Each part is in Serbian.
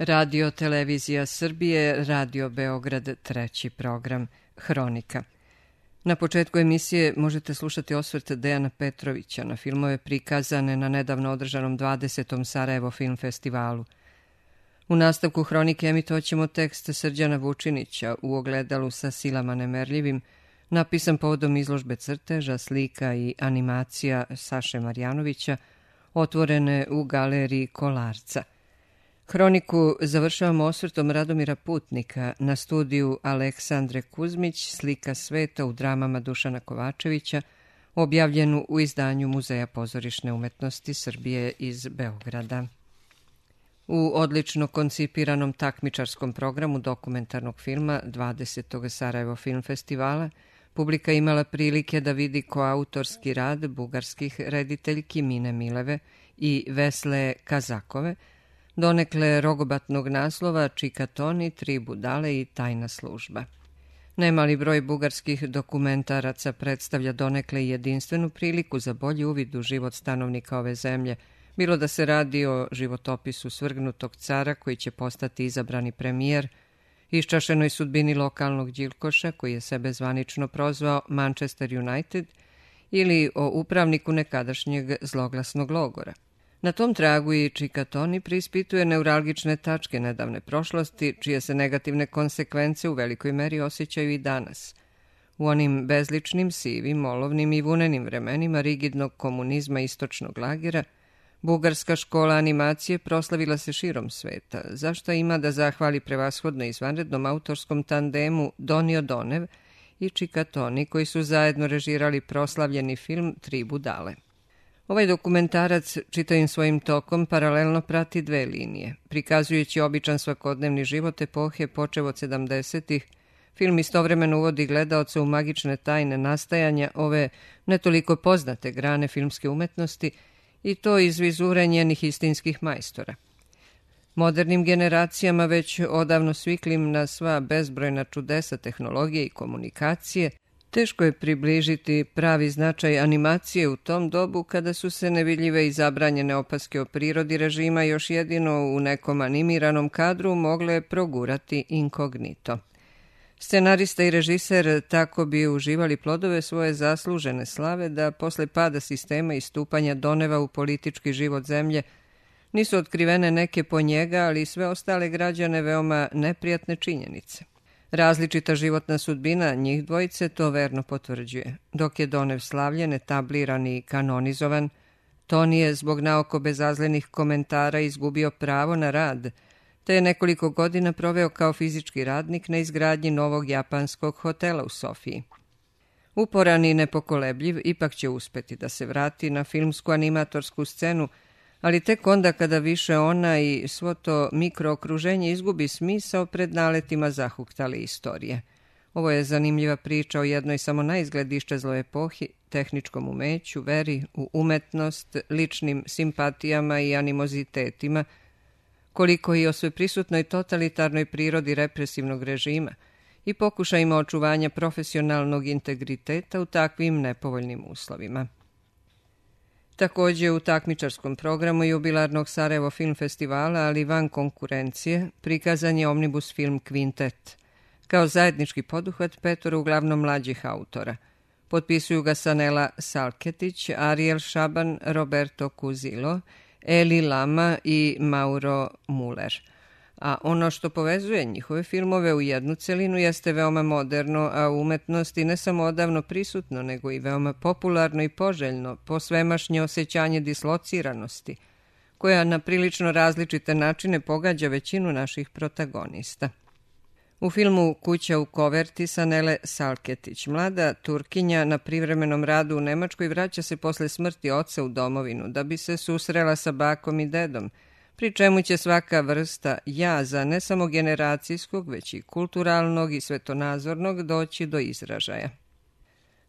Radio Televizija Srbije, Radio Beograd, treći program, Hronika. Na početku emisije možete slušati osvrt Dejana Petrovića na filmove prikazane na nedavno održanom 20. Sarajevo film festivalu. U nastavku Hronike emitovaćemo tekst Srđana Vučinića U ogledalu sa silama nemerljivim, napisan povodom izložbe crteža, slika i animacija Saše Marjanovića, otvorene u galeriji Kolarca. Hroniku završavamo osvrtom Radomira Putnika na studiju Aleksandre Kuzmić Slika sveta u dramama Dušana Kovačevića, objavljenu u izdanju Muzeja pozorišne umetnosti Srbije iz Beograda. U odlično koncipiranom takmičarskom programu dokumentarnog filma 20. Sarajevo film festivala publika imala prilike da vidi koautorski rad bugarskih rediteljki Mine Mileve i Vesle Kazakove, donekle rogobatnog naslova Čikatoni, Tri budale i Tajna služba. Nemali broj bugarskih dokumentaraca predstavlja donekle jedinstvenu priliku za bolji uvid u život stanovnika ove zemlje, bilo da se radi o životopisu svrgnutog cara koji će postati izabrani premijer, iščašenoj sudbini lokalnog đilkoša koji je sebe zvanično prozvao Manchester United ili o upravniku nekadašnjeg zloglasnog logora. Na tom tragu i Čikatoni preispituje neuralgične tačke nedavne prošlosti, čije se negativne konsekvence u velikoj meri osjećaju i danas. U onim bezličnim, sivim, olovnim i vunenim vremenima rigidnog komunizma istočnog lagera, bugarska škola animacije proslavila se širom sveta, za šta ima da zahvali prevashodno izvanrednom autorskom tandemu Donio Donev i Čikatoni, koji su zajedno režirali proslavljeni film Tri budale. Ovaj dokumentarac čitavim svojim tokom paralelno prati dve linije. Prikazujući običan svakodnevni život epohe počev od 70-ih, film istovremeno uvodi gledaoca u magične tajne nastajanja ove ne toliko poznate grane filmske umetnosti i to iz vizure njenih istinskih majstora. Modernim generacijama već odavno sviklim na sva bezbrojna čudesa tehnologije i komunikacije, teško je približiti pravi značaj animacije u tom dobu kada su se nevidljive i zabranjene opaske o prirodi režima još jedino u nekom animiranom kadru mogle progurati inkognito. Scenarista i režiser tako bi uživali plodove svoje zaslužene slave da posle pada sistema i stupanja Doneva u politički život zemlje nisu otkrivene neke po njega, ali i sve ostale građane veoma neprijatne činjenice. Različita životna sudbina njih dvojice to verno potvrđuje. Dok je Donev slavljen, etabliran i kanonizovan, Toni je zbog naoko bezazlenih komentara izgubio pravo na rad, te je nekoliko godina proveo kao fizički radnik na izgradnji novog japanskog hotela u Sofiji. Uporan i nepokolebljiv, ipak će uspeti da se vrati na filmsku animatorsku scenu, ali tek onda kada više ona i svo to mikrookruženje izgubi smisao pred naletima zahuktale istorije. Ovo je zanimljiva priča o jednoj samo naizgled iščezloj epohi, tehničkom umeću, veri u umetnost, ličnim simpatijama i animozitetima, koliko i o sveprisutnoj totalitarnoj prirodi represivnog režima i pokušajima očuvanja profesionalnog integriteta u takvim nepovoljnim uslovima. Također u takmičarskom programu jubilarnog Sarajevo film festivala, ali van konkurencije, prikazan je omnibus film Kvintet, kao zajednički poduhvat petoro uglavnom mlađih autora. Potpisuju ga Sanela Salketić, Ariel Šaban, Roberto Cuzilo, Eli Lama i Mauro Muller. A ono što povezuje njihove filmove u jednu celinu jeste veoma moderno, a u umetnosti ne samo odavno prisutno, nego i veoma popularno i poželjno, posvemašnje osjećanje dislociranosti, koja na prilično različite načine pogađa većinu naših protagonista. U filmu Kuća u koverti Sanele Salketić, mlada Turkinja na privremenom radu u Nemačkoj vraća se posle smrti oca u domovinu da bi se susrela sa bakom i dedom, pri čemu će svaka vrsta jaza ne samo generacijskog, već i kulturalnog i svetonazornog doći do izražaja.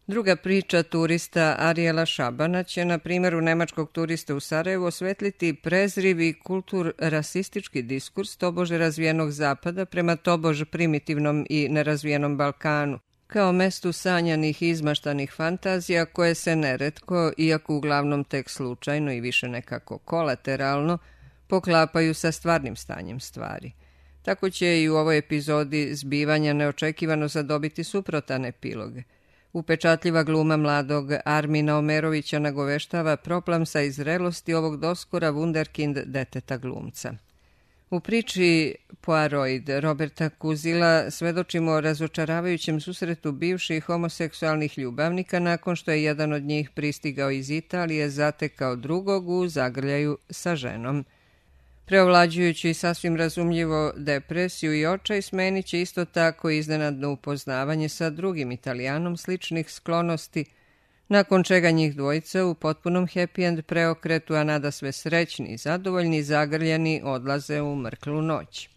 Druga priča turista Ariela Šabana će na primjeru nemačkog turista u Sarajevu osvetliti prezriv i kultur-rasistički diskurs tobože razvijenog zapada prema tobož primitivnom i nerazvijenom Balkanu, kao mestu sanjanih i izmaštanih fantazija koje se neretko, iako uglavnom tek slučajno i više nekako kolateralno, poklapaju sa stvarnim stanjem stvari. Tako će i u ovoj epizodi zbivanja neočekivano zadobiti suprotan epilog. Upečatljiva gluma mladog Armina Omerovića nagoveštava proplamsa i zrelosti ovog doskora wunderkind deteta glumca. U priči Poirot Roberta Kuzila svedočimo o razočaravajućem susretu bivših homoseksualnih ljubavnika nakon što je jedan od njih pristigao iz Italije, zatekao drugog u zagrljaju sa ženom. Preovlađujući sasvim razumljivo depresiju i očaj, smenit će isto tako iznenadno upoznavanje sa drugim Italijanom sličnih sklonosti, nakon čega njih dvojica u potpunom happy end preokretu, a nada sve srećni i zadovoljni, zagrljeni, odlaze u mrklu noć.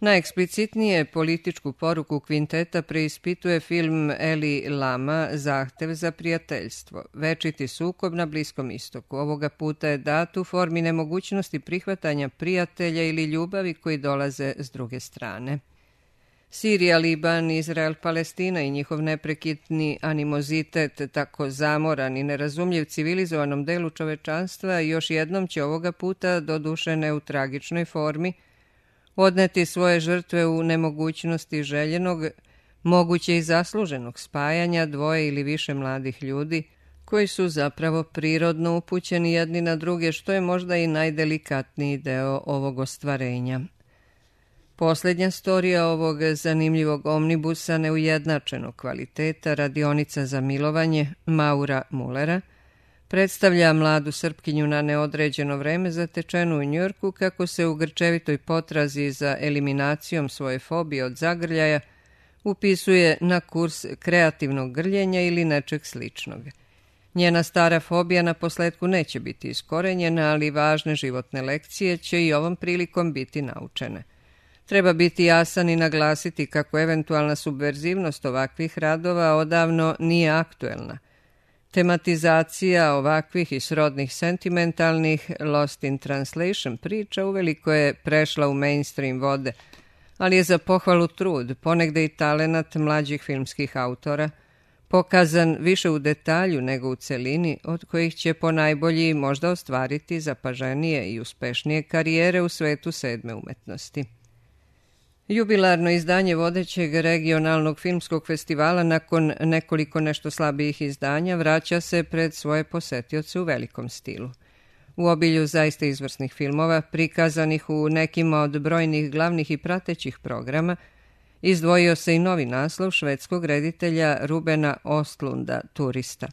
Najeksplicitnije političku poruku kvinteta preispituje film Eli Lama Zahtev za prijateljstvo. Večiti sukob na Bliskom istoku. Ovoga puta je dat u formi nemogućnosti prihvatanja prijatelja ili ljubavi koji dolaze s druge strane. Sirija, Liban, Izrael, Palestina i njihov neprekidni animozitet, tako zamoran i nerazumljiv civilizovanom delu čovečanstva, još jednom će ovoga puta, doduše ne u tragičnoj formi, odneti svoje žrtve u nemogućnosti željenog, moguće i zasluženog spajanja dvoje ili više mladih ljudi, koji su zapravo prirodno upućeni jedni na druge, što je možda i najdelikatniji deo ovog ostvarenja. Posljednja storija ovog zanimljivog omnibusa neujednačenog kvaliteta, radionica za milovanje Maura Mullera, predstavlja mladu Srpkinju na neodređeno vreme zatečenu u Njujorku kako se u grčevitoj potrazi za eliminacijom svoje fobije od zagrljaja upisuje na kurs kreativnog grljenja ili nečeg sličnog. Njena stara fobija na posledku neće biti iskorenjena, ali važne životne lekcije će i ovom prilikom biti naučene. Treba biti jasan i naglasiti kako eventualna subverzivnost ovakvih radova odavno nije aktuelna. Tematizacija ovakvih i srodnih sentimentalnih Lost in Translation priča uveliko je prešla u mainstream vode, ali je za pohvalu trud, ponegde i talenat mlađih filmskih autora, pokazan više u detalju nego u celini, od kojih će ponajbolji možda ostvariti zapaženije i uspešnije karijere u svetu sedme umetnosti. Jubilarno izdanje vodećeg regionalnog filmskog festivala nakon nekoliko nešto slabijih izdanja vraća se pred svoje posetioce u velikom stilu. U obilju zaista izvrsnih filmova, prikazanih u nekima od brojnih glavnih i pratećih programa, izdvojio se i novi naslov švedskog reditelja Rubena Ostlunda, Turista.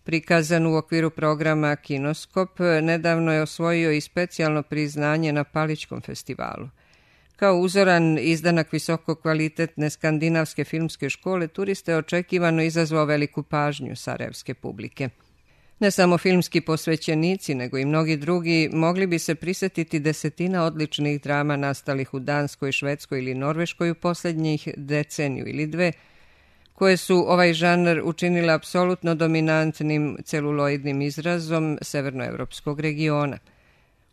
Prikazan u okviru programa Kinoskop, nedavno je osvojio i specijalno priznanje na Palićkom festivalu. Kao uzoran izdanak visokokvalitetne skandinavske filmske škole, Turista je očekivano izazvao veliku pažnju sarajevske publike. Ne samo filmski posvećenici, nego i mnogi drugi mogli bi se prisetiti desetina odličnih drama nastalih u Danskoj, Švedskoj ili Norveškoj u posljednjih deceniju ili dve, koje su ovaj žanr učinile apsolutno dominantnim celuloidnim izrazom severnoevropskog regiona.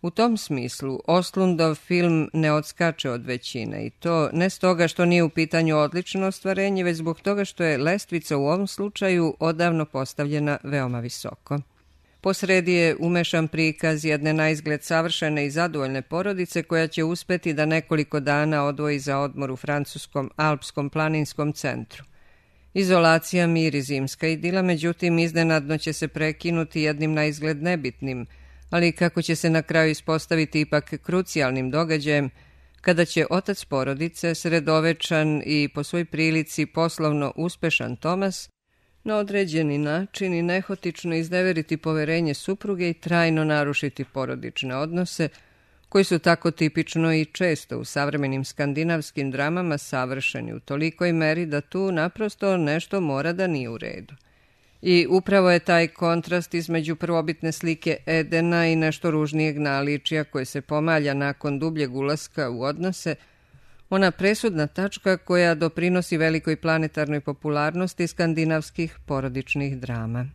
U tom smislu, Ostlundov film ne odskače od većine i to ne stoga što nije u pitanju odlično ostvarenje, već zbog toga što je lestvica u ovom slučaju odavno postavljena veoma visoko. Posredi je umešan prikaz jedne naizgled savršene i zadovoljne porodice koja će uspeti da nekoliko dana odvoji za odmor u francuskom alpskom planinskom centru. Izolacija, mir i zimska idila, međutim, iznenadno će se prekinuti jednim naizgled nebitnim, ali kako će se na kraju ispostaviti ipak krucijalnim događajem, kada će otac porodice, sredovečan i po svoj prilici poslovno uspešan Tomas, na određeni način i nehotično izneveriti poverenje supruge i trajno narušiti porodične odnose, koji su tako tipično i često u savremenim skandinavskim dramama savršeni u tolikoj meri da tu naprosto nešto mora da nije u redu. I upravo je taj kontrast između prvobitne slike Edena i nešto ružnijeg naličja koje se pomalja nakon dubljeg ulaska u odnose, ona presudna tačka koja doprinosi velikoj planetarnoj popularnosti skandinavskih porodičnih drama.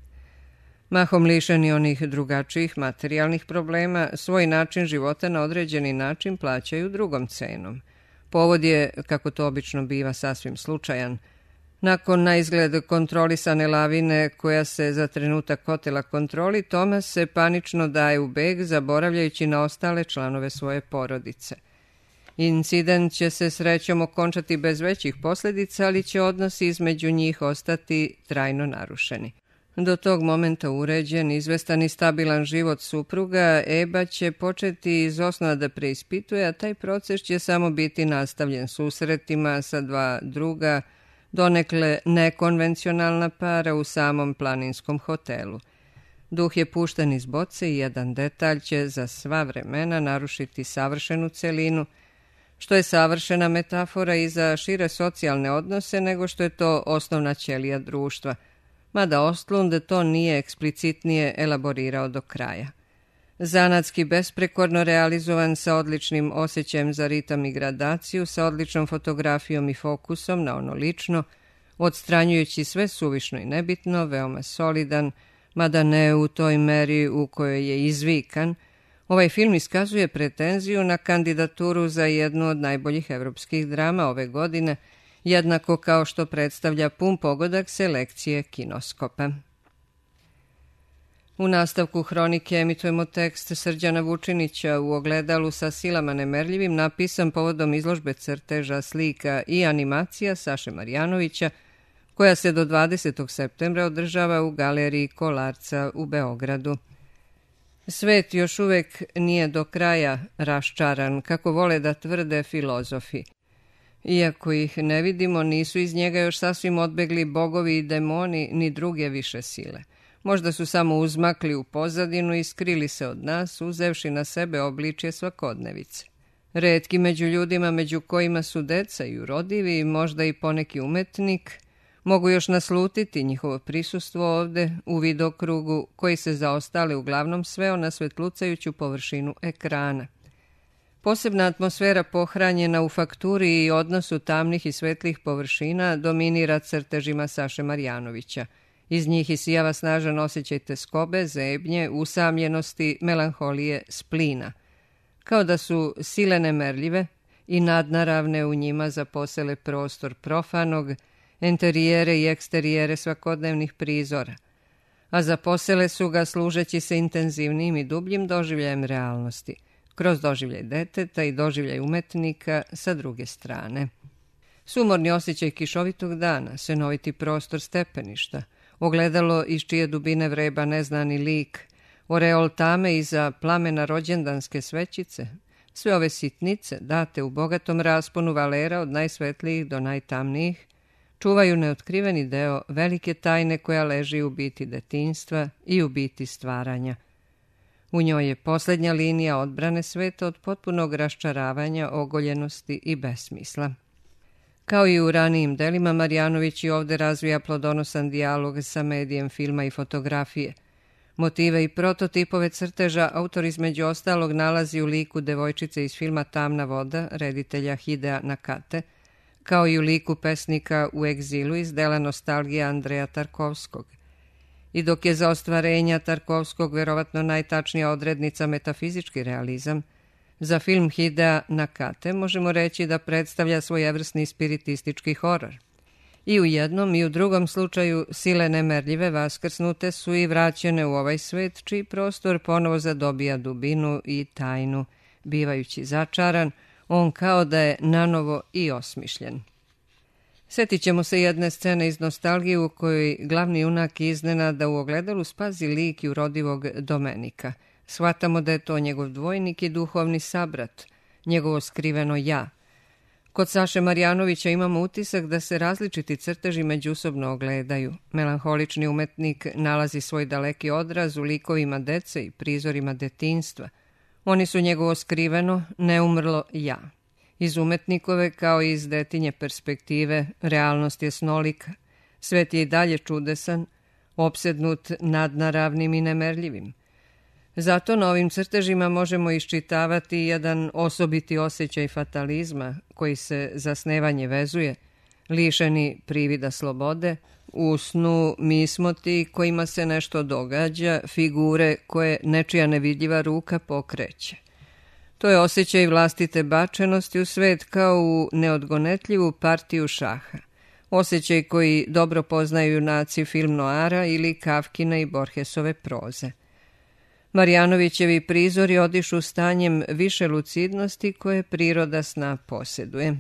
Mahom lišeni onih drugačijih materijalnih problema, svoj način života na određeni način plaćaju drugom cenom. Povod je, kako to obično biva, sasvim slučajan. Nakon na izgled kontrolisane lavine koja se za trenutak otela kontroli, Tomas se panično daje u beg, zaboravljajući na ostale članove svoje porodice. Incident će se srećom okončati bez većih posljedica, ali će odnosi između njih ostati trajno narušeni. Do tog momenta uređen, izvestan i stabilan život supruga, Eba će početi iz osnova da preispituje, a taj proces će samo biti nastavljen susretima sa dva druga, donekle nekonvencionalna para u samom planinskom hotelu. Duh je pušten iz boce i jedan detalj će za sva vremena narušiti savršenu celinu, što je savršena metafora i za šire socijalne odnose nego što je to osnovna ćelija društva, mada Ostlund to nije eksplicitnije elaborirao do kraja. Zanatski besprekorno realizovan, sa odličnim osjećajem za ritam i gradaciju, sa odličnom fotografijom i fokusom na ono lično, odstranjujući sve suvišno i nebitno, veoma solidan, mada ne u toj meri u kojoj je izvikan, ovaj film iskazuje pretenziju na kandidaturu za jednu od najboljih evropskih drama ove godine, jednako kao što predstavlja pun pogodak selekcije Kinoskopa. U nastavku Hronike emitujemo tekst Srđana Vučinića u ogledalu sa silama nemerljivim, napisan povodom izložbe crteža, slika i animacija Saše Marjanovića, koja se do 20. septembra održava u galeriji Kolarca u Beogradu. Svet još uvek nije do kraja raščaran, kako vole da tvrde filozofi. Iako ih ne vidimo, nisu iz njega još sasvim odbegli bogovi i demoni ni druge više sile. Možda su samo uzmakli u pozadinu i skrili se od nas, uzevši na sebe obličje svakodnevice. Retki među ljudima, među kojima su deca i urodivi, možda i poneki umetnik, mogu još naslutiti njihovo prisustvo ovde u vidokrugu koji se za ostale uglavnom sveo na svetlucajuću površinu ekrana. Posebna atmosfera pohranjena u fakturi i odnosu tamnih i svetlih površina dominira crtežima Saše Marjanovića. Iz njih isijava snažan osjećaj teskobe, zebnje, usamljenosti, melanholije, splina. Kao da su sile nemerljive i nadnaravne u njima zaposele prostor profanog, enterijere i eksterijere svakodnevnih prizora, a zaposele su ga služeći se intenzivnim i dubljim doživljajem realnosti, kroz doživljaj deteta i doživljaj umetnika sa druge strane. Sumorni osjećaj kišovitog dana, senoviti prostor stepeništa, ogledalo iz čije dubine vreba neznani lik, oreol tame iza plamena rođendanske svećice, sve ove sitnice, date u bogatom rasponu valera od najsvetlijih do najtamnijih, čuvaju neotkriveni deo velike tajne koja leži u biti detinjstva i u biti stvaranja. U njoj je posljednja linija odbrane sveta od potpunog raščaravanja, ogoljenosti i besmisla. Kao i u ranijim delima, Marjanović i ovde razvija plodonosan dijalog sa medijem filma i fotografije. Motive i prototipove crteža autor između ostalog nalazi u liku devojčice iz filma Tamna voda, reditelja Hidea Nakate, kao i u liku pesnika U egzilu iz dela Nostalgija Andreja Tarkovskog. I dok je za ostvarenja Tarkovskog verovatno najtačnija odrednica metafizički realizam, za film Hidea Nakate možemo reći da predstavlja svojevrsni spiritistički horor. I u jednom i u drugom slučaju sile nemerljive vaskrsnute su i vraćene u ovaj svet, čiji prostor ponovo zadobija dubinu i tajnu, bivajući začaran, on kao da je nanovo i osmišljen. Sjetit ćemo se jedne scene iz Nostalgije u kojoj glavni junak iznenada u ogledalu spazi lik urodivog Domenika. Shvatamo da je to njegov dvojnik i duhovni sabrat, njegovo skriveno ja. Kod Saše Marjanovića imamo utisak da se različiti crteži međusobno ogledaju. Melanholični umetnik nalazi svoj daleki odraz u likovima dece i prizorima detinjstva. Oni su njegovo skriveno, neumrlo ja. Iz umetnikove kao i iz detinje perspektive realnost je snolika, svet je i dalje čudesan, opsednut nadnaravnim i nemerljivim. Zato na ovim crtežima možemo iščitavati jedan osobiti osjećaj fatalizma koji se za snevanje vezuje, lišeni privida slobode. U snu mi smo ti kojima se nešto događa, figure koje nečija nevidljiva ruka pokreće. To je osjećaj vlastite bačenosti u svet kao u neodgonetljivu partiju šaha. osjećaj koji dobro poznaju junaci film noara ili Kafkine i Borgesove proze. Marjanovićevi prizori odišu stanjem više lucidnosti koje priroda sna posjeduje.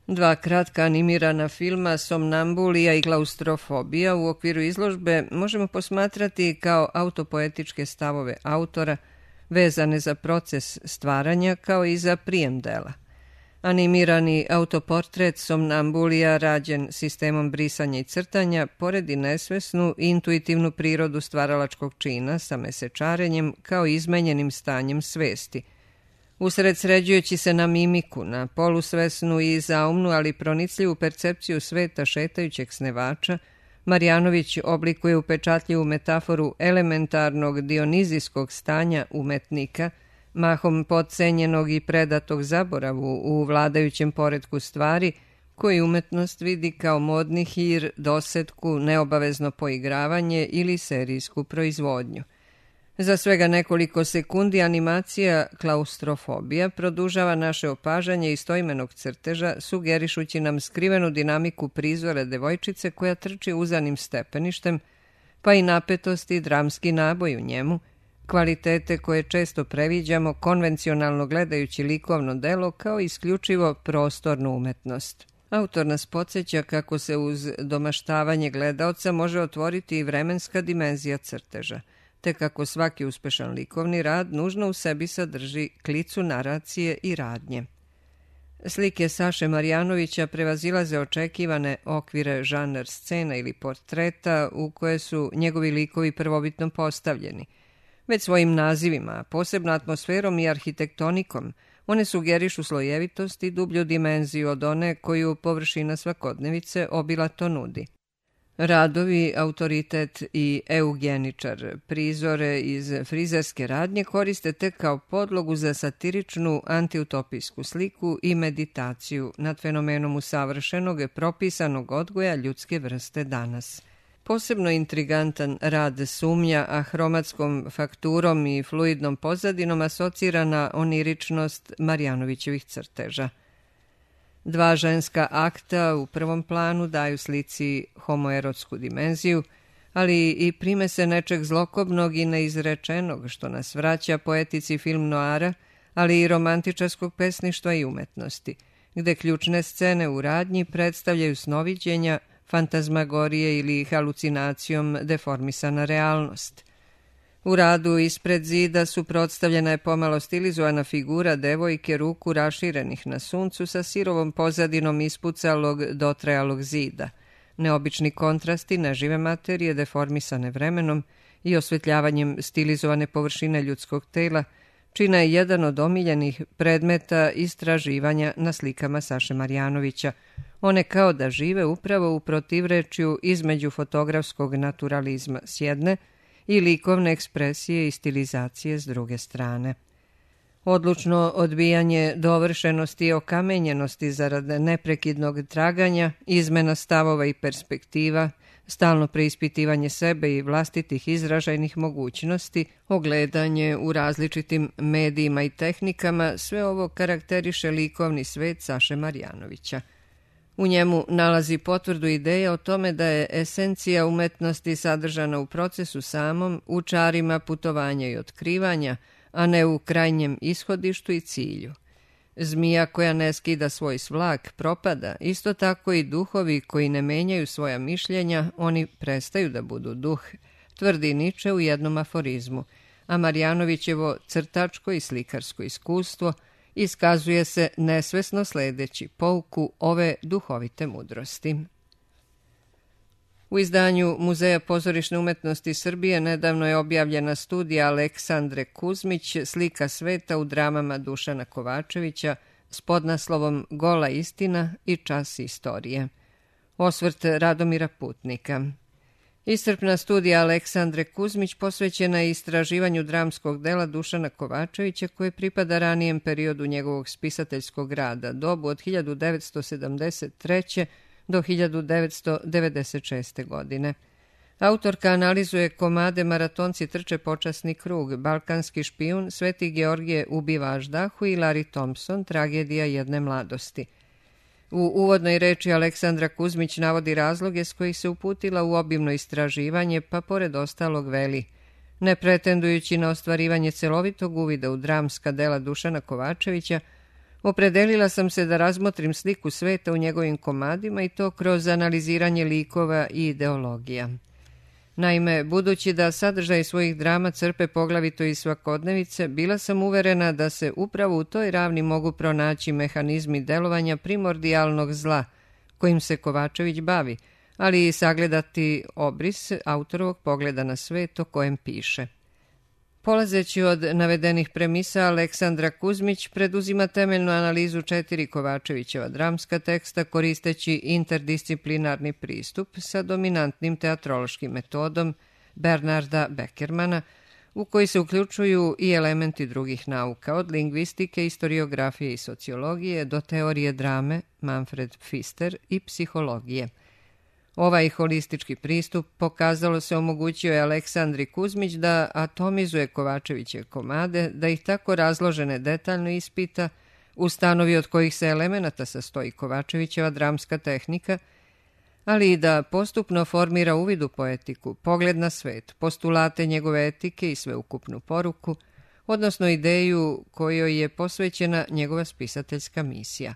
Dva kratka animirana filma Somnambulija i Klaustrofobija u okviru izložbe možemo posmatrati kao autopoetičke stavove autora vezane za proces stvaranja kao i za prijem dela. Animirani autoportret Somnambulija rađen sistemom brisanja i crtanja poredi nesvesnu i intuitivnu prirodu stvaralačkog čina sa mesečarenjem kao izmenjenim stanjem svesti. Usred sređujući se na mimiku, na polusvesnu i zaumnu, ali pronicljivu percepciju sveta šetajućeg snevača, Marjanović oblikuje upečatljivu metaforu elementarnog dionizijskog stanja umetnika, mahom podcenjenog i predatog zaboravu u vladajućem poretku stvari, koji umetnost vidi kao modni hir, dosetku, neobavezno poigravanje ili serijsku proizvodnju. Za svega nekoliko sekundi animacija Klaustrofobija produžava naše opažanje istoimenog crteža, sugerišući nam skrivenu dinamiku prizora devojčice koja trči uzanim stepeništem, pa i napetost i dramski naboj u njemu, kvalitete koje često previđamo konvencionalno gledajući likovno delo kao isključivo prostornu umetnost. Autor nas podsjeća kako se uz domaštavanje gledaoca može otvoriti i vremenska dimenzija crteža, te kako svaki uspešan likovni rad nužno u sebi sadrži klicu naracije i radnje. Slike Saše Marjanovića prevazilaze očekivane okvire žanar scena ili portreta u koje su njegovi likovi prvobitno postavljeni. Već svojim nazivima, posebno atmosferom i arhitektonikom, one sugerišu slojevitost i dublju dimenziju od one koju površina svakodnevice obilato nudi. Radovi, autoritet i eugeničar prizore iz frizerske radnje koriste tek kao podlogu za satiričnu antiutopijsku sliku i meditaciju nad fenomenom usavršenog propisanog odgoja ljudske vrste danas. Posebno intrigantan rad sumnja, a hromatskom fakturom i fluidnom pozadinom asocira na oniričnost Marjanovićevih crteža. Dva ženska akta u prvom planu daju slici homoerotsku dimenziju, ali i primese nečeg zlokobnog i neizrečenog, što nas vraća poetici film noara, ali i romantičarskog pesništva i umetnosti, gde ključne scene u radnji predstavljaju snoviđenja, fantazmagorije ili halucinacijom deformisana realnost. U radu Ispred zida suprotstavljena je pomalo stilizovana figura devojke ruku raširenih na suncu sa sirovom pozadinom ispucalog dotrajalog zida, neobični kontrasti nežive materije deformisane vremenom i osvetljavanjem stilizovane površine ljudskog tela, čina je jedan od omiljenih predmeta istraživanja na slikama Saše Marjanovića. One kao da žive upravo u protivrečju između fotografskog naturalizma s jedne i likovne ekspresije i stilizacije s druge strane. Odlučno odbijanje dovršenosti i okamenjenosti zarad neprekidnog traganja, izmena stavova i perspektiva, stalno preispitivanje sebe i vlastitih izražajnih mogućnosti, ogledanje u različitim medijima i tehnikama, sve ovo karakteriše likovni svet Saše Marjanovića. U njemu nalazi potvrdu ideje o tome da je esencija umetnosti sadržana u procesu samom, u čarima putovanja i otkrivanja, a ne u krajnjem ishodištu i cilju. Zmija koja ne skida svoj svlak propada, isto tako i duhovi koji ne menjaju svoja mišljenja, oni prestaju da budu duh, tvrdi Niče u jednom aforizmu, a Marjanovićevo crtačko i slikarsko iskustvo iskazuje se nesvesno sledeći pouku ove duhovite mudrosti. U izdanju Muzeja pozorišne umetnosti Srbije nedavno je objavljena studija Aleksandre Kuzmić Slika sveta u dramama Dušana Kovačevića s podnaslovom Gola istina i čas istorije. Osvrt Radomira Putnika. Iscrpna studija Aleksandre Kuzmić posvećena je istraživanju dramskog dela Dušana Kovačevića koje pripada ranijem periodu njegovog spisateljskog rada, dobu od 1973. do 1996. godine. Autorka analizuje komade Maratonci trče počasni krug, Balkanski špijun, Sveti Georgije ubiva Aždahu i Larry Thompson, Tragedija jedne mladosti. U uvodnoj reči Aleksandra Kuzmić navodi razloge s kojih se uputila u obimno istraživanje, pa pored ostalog veli: ne pretendujući na ostvarivanje celovitog uvida u dramska dela Dušana Kovačevića, opredelila sam se da razmotrim sliku sveta u njegovim komadima i to kroz analiziranje likova i ideologija. Naime, budući da sadržaj svojih drama crpe poglavito iz svakodnevice, bila sam uverena da se upravo u toj ravni mogu pronaći mehanizmi delovanja primordijalnog zla kojim se Kovačević bavi, ali i sagledati obris autorovog pogleda na svet o kojem piše. Polazeći od navedenih premisa, Aleksandra Kuzmić preduzima temeljnu analizu 4 Kovačevićeva dramska teksta koristeći interdisciplinarni pristup sa dominantnim teatrološkim metodom Bernarda Beckermana, u koji se uključuju i elementi drugih nauka, od lingvistike, istoriografije i sociologije do teorije drame Manfred Pfister i psihologije. Ovaj holistički pristup, pokazalo se, omogućio je Aleksandri Kuzmić da atomizuje Kovačevićeve komade, da ih tako razložene detaljno ispita, ustanovi od kojih se elemenata sastoji Kovačevićeva dramska tehnika, ali i da postupno formira uvid u poetiku, pogled na svet, postulate njegove etike i sveukupnu poruku, odnosno ideju kojoj je posvećena njegova spisateljska misija.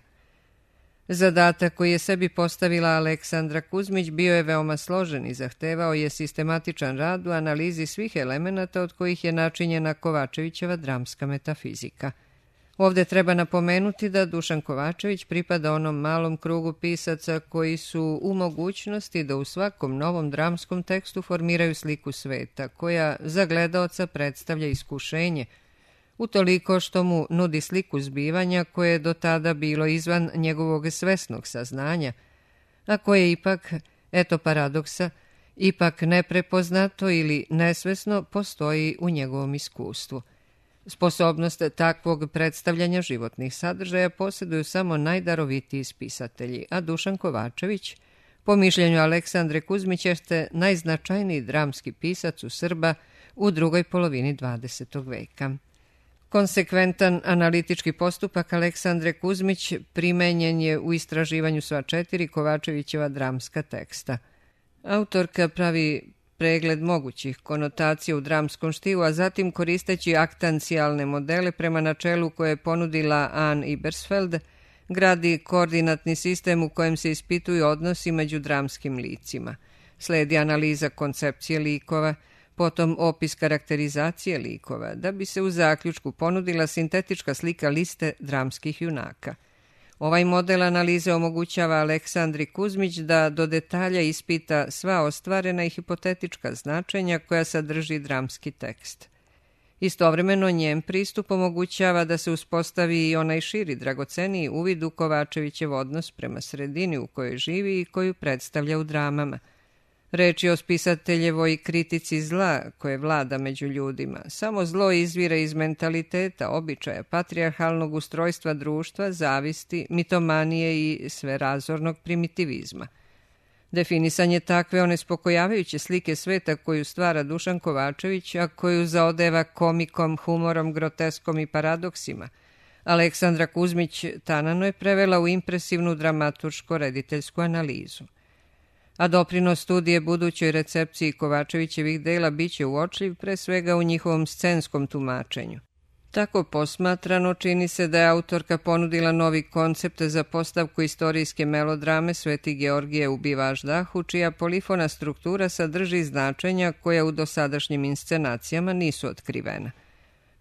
Zadatak koji je sebi postavila Aleksandra Kuzmić bio je veoma složen i zahtevao je sistematičan rad u analizi svih elemenata od kojih je načinjena Kovačevićeva dramska metafizika. Ovde treba napomenuti da Dušan Kovačević pripada onom malom krugu pisaca koji su u mogućnosti da u svakom novom dramskom tekstu formiraju sliku sveta, koja za gledaoca predstavlja iskušenje, utoliko što mu nudi sliku zbivanja koje je do tada bilo izvan njegovog svesnog saznanja, a koje ipak, eto paradoksa, ipak neprepoznato ili nesvesno postoji u njegovom iskustvu. Sposobnost takvog predstavljanja životnih sadržaja posjeduju samo najdarovitiji spisatelji, a Dušan Kovačević, po mišljenju Aleksandre Kuzmić, jeste najznačajniji dramski pisac u Srba u drugoj polovini 20. veka. Konsekventan analitički postupak Aleksandre Kuzmić primenjen je u istraživanju sva 4 Kovačevićeva dramska teksta. Autorka pravi pregled mogućih konotacija u dramskom štilu, a zatim, koristeći aktancijalne modele prema načelu koje je ponudila Anne Ibersfeld, gradi koordinatni sistem u kojem se ispituju odnosi među dramskim licima. Sledi analiza koncepcije likova, potom opis karakterizacije likova, da bi se u zaključku ponudila sintetička slika liste dramskih junaka. Ovaj model analize omogućava Aleksandri Kuzmić da do detalja ispita sva ostvarena i hipotetička značenja koja sadrži dramski tekst. Istovremeno njen pristup omogućava da se uspostavi i onaj širi, dragoceniji uvid u Kovačevićev odnos prema sredini u kojoj živi i koju predstavlja u dramama. Reč je o spisateljevoj kritici zla koje vlada među ljudima. Samo zlo izvira iz mentaliteta, običaja, patrijarhalnog ustrojstva društva, zavisti, mitomanije i sverazornog primitivizma. Definisanje takve onespokojavajuće slike sveta koju stvara Dušan Kovačević, a koju zaodeva komikom, humorom, groteskom i paradoksima, Aleksandra Kuzmić tanano je prevela u impresivnu dramaturško-rediteljsku analizu. A doprinos studije budućoj recepciji Kovačevićevih dela biće uočljiv pre svega u njihovom scenskom tumačenju. Tako posmatrano, čini se da je autorka ponudila novi koncept za postavku istorijske melodrame Sveti Georgije ubiva Aždahu, čija polifona struktura sadrži značenja koja u dosadašnjim inscenacijama nisu otkrivena.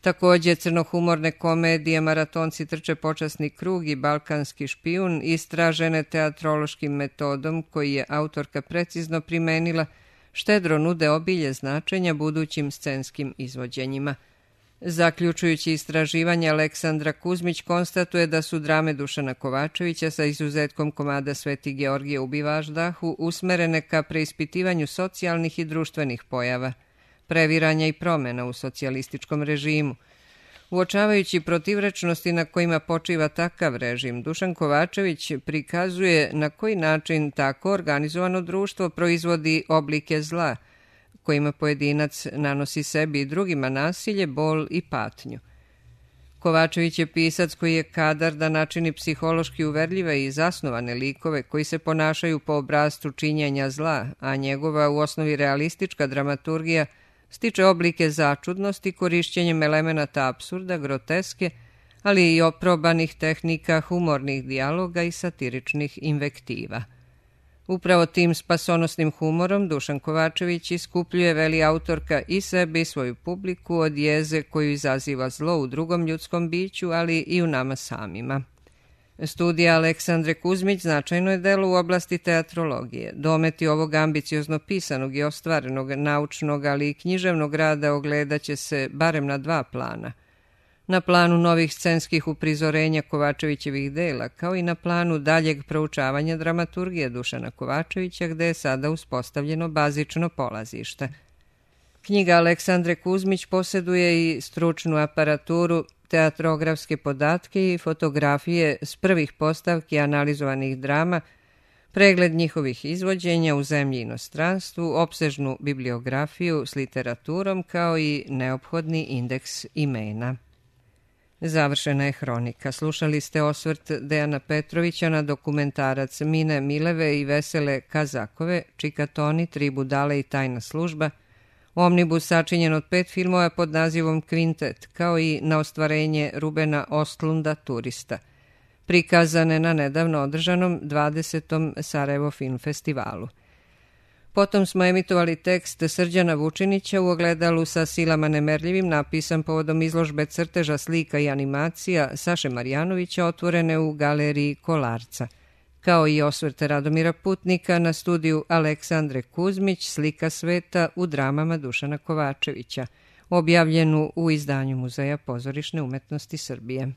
Također, crnohumorne komedije Maratonci trče počasni krug i Balkanski špijun, istražene teatrološkim metodom koji je autorka precizno primenila, štedro nude obilje značenja budućim scenskim izvođenjima. Zaključujući istraživanje, Aleksandra Kuzmić konstatuje da su drame Dušana Kovačevića, sa izuzetkom komada Sveti Georgije ubiva Aždahu, usmerene ka preispitivanju socijalnih i društvenih pojava, previranja i promena u socijalističkom režimu. Uočavajući protivrečnosti na kojima počiva takav režim, Dušan Kovačević prikazuje na koji način tako organizovano društvo proizvodi oblike zla, kojima pojedinac nanosi sebi i drugima nasilje, bol i patnju. Kovačević je pisac koji je kadar da načini psihološki uverljive i zasnovane likove koji se ponašaju po obrascu činjenja zla, a njegova u osnovi realistička dramaturgija stiče oblike začudnosti korišćenjem elemenata apsurda, groteske, ali i oprobanih tehnika humornih dijaloga i satiričnih invektiva. Upravo tim spasonosnim humorom Dušan Kovačević iskupljuje, veli autorka, i sebe i svoju publiku od jeze koju izaziva zlo u drugom ljudskom biću, ali i u nama samima. Studija Aleksandre Kuzmić značajno je delo u oblasti teatrologije. Dometi ovog ambiciozno pisanog i ostvarenog naučnog, ali i književnog rada ogledaće se barem na dva plana. Na planu novih scenskih uprizorenja Kovačevićevih dela, kao i na planu daljeg proučavanja dramaturgije Dušana Kovačevića, gde je sada uspostavljeno bazično polazište. Knjiga Aleksandre Kuzmić posjeduje i stručnu aparaturu, teatrografske podatke i fotografije s prvih postavki analizovanih drama, pregled njihovih izvođenja u zemlji i inostranstvu, opsežnu bibliografiju s literaturom, kao i neophodni indeks imena. Završena je hronika. Slušali ste osvrt Dejana Petrovića na dokumentarac Mine Mileve i Vesele Kazakove, Čikatoni, Tri budale i tajna služba, omnibus sačinjen od 5 filmova pod nazivom Kvintet, kao i na ostvarenje Rubena Ostlunda Turista, prikazane na nedavno održanom 20. Sarajevo Film Festivalu. Potom smo emitovali tekst Srđana Vučinića u ogledalu sa silama nemerljivim, napisan povodom izložbe crteža, slika i animacija Saše Marjanovića otvorene u galeriji Kolarca, kao i osvrt Radomira Putnika na studiju Aleksandre Kuzmić Slika sveta u dramama Dušana Kovačevića, objavljenu u izdanju Muzeja pozorišne umetnosti Srbije.